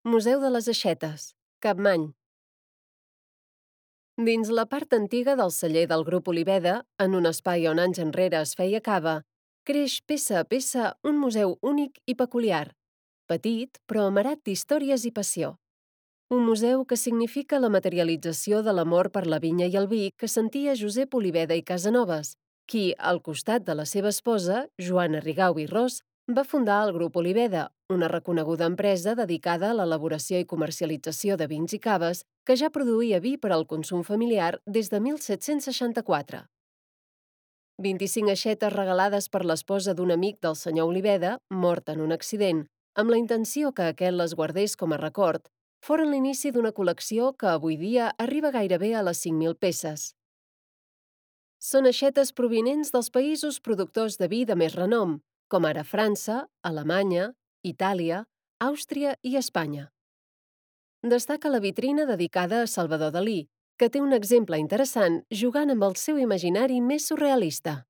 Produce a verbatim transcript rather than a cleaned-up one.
Museu de les Aixetes, Capmany. Dins la part antiga del celler del Grup Oliveda, en un espai on anys enrere es feia cava, creix peça a peça un museu únic i peculiar, petit però amarat d'històries i passió. Un museu que significa la materialització de l'amor per la vinya i el vi que sentia Josep Oliveda i Casanovas, qui, al costat de la seva esposa, Joana Rigau i Ros, va fundar el Grup Oliveda, una reconeguda empresa dedicada a l'elaboració i comercialització de vins i caves que ja produïa vi per al consum familiar des de mil set-cents seixanta-quatre. vint-i-cinc aixetes regalades per l'esposa d'un amic del senyor Oliveda, mort en un accident, amb la intenció que aquest les guardés com a record, foren l'inici d'una col·lecció que avui dia arriba gairebé a les cinc mil peces. Són aixetes provinents dels països productors de vi de més renom, com ara França, Alemanya, Itàlia, Àustria i Espanya. Destaca la vitrina dedicada a Salvador Dalí, que té un exemple interessant jugant amb el seu imaginari més surrealista.